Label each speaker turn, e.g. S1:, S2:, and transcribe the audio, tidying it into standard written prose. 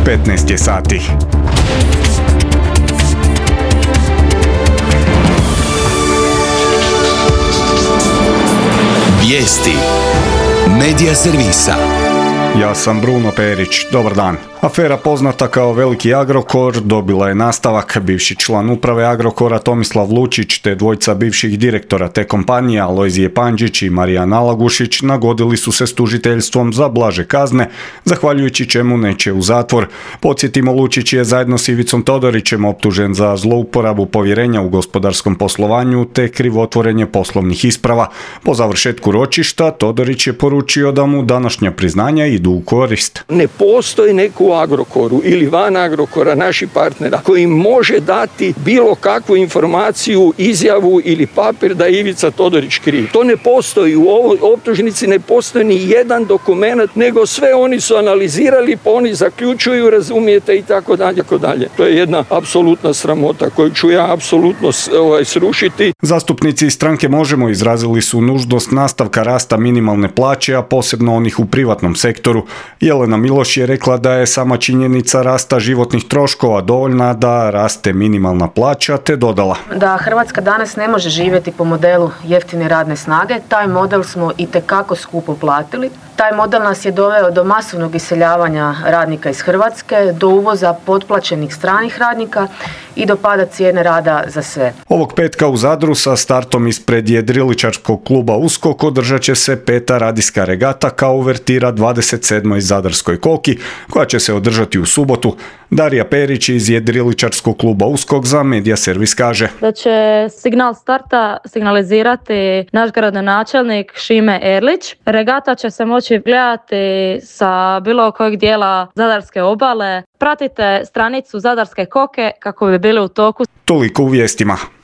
S1: 15 je sati.
S2: Vijesti Medija servisa.
S1: Ja sam Bruno Perić, dobar dan. Afera poznata kao Veliki Agrokor dobila je nastavak. Bivši član uprave Agrokora Tomislav Lučić te dvojica bivših direktora te kompanije Alojzije Pandžić i Marijan Alagušić nagodili su se s tužiteljstvom za blaže kazne, zahvaljujući čemu neće u zatvor. Podsjetimo, Lučić je zajedno s Ivicom Todorićem optužen za zlouporabu povjerenja u gospodarskom poslovanju te krivotvorenje poslovnih isprava. Po završetku ročišta Todorić je poručio da mu današnja priznanja idu u korist.
S3: Ne postoji neko u Agrokoru ili van Agrokora naših partnera koji može dati bilo kakvu informaciju, izjavu ili papir da je Ivica Todorić kriv. To ne postoji. U ovoj optužnici ne postoji ni jedan dokument, nego sve oni su analizirali, pa oni zaključuju, razumijete, i tako dalje. To je jedna apsolutna sramota koju ću ja apsolutno srušiti.
S1: Zastupnici stranke Možemo izrazili su nužnost nastavka rasta minimalne plaće, a posebno onih u privatnom sektoru. Jelena Miloš je rekla da je sama činjenica rasta životnih troškova dovoljna da raste minimalna plaća, te dodala
S4: da Hrvatska danas ne može živjeti po modelu jeftine radne snage. Taj model smo itekako skupo platili. Taj model nas je doveo do masovnog iseljavanja radnika iz Hrvatske, do uvoza potplaćenih stranih radnika i do pada cijene rada za sve.
S1: Ovog petka u Zadru sa startom ispred jedriličarskog kluba Uskok održat će se 5. radijska regata kao uvertira 27. Zadarskoj koki, koja će se održati u subotu. Darija Perić iz jedriličarskog kluba Uskok za Medija servis kaže
S5: da će signal starta signalizirati naš gradonačelnik Šime Erlić. Regata će se moći gledati sa bilo kojeg dijela Zadarske obale. Pratite stranicu Zadarske koke kako bi bili u toku.
S1: Toliko u vijestima.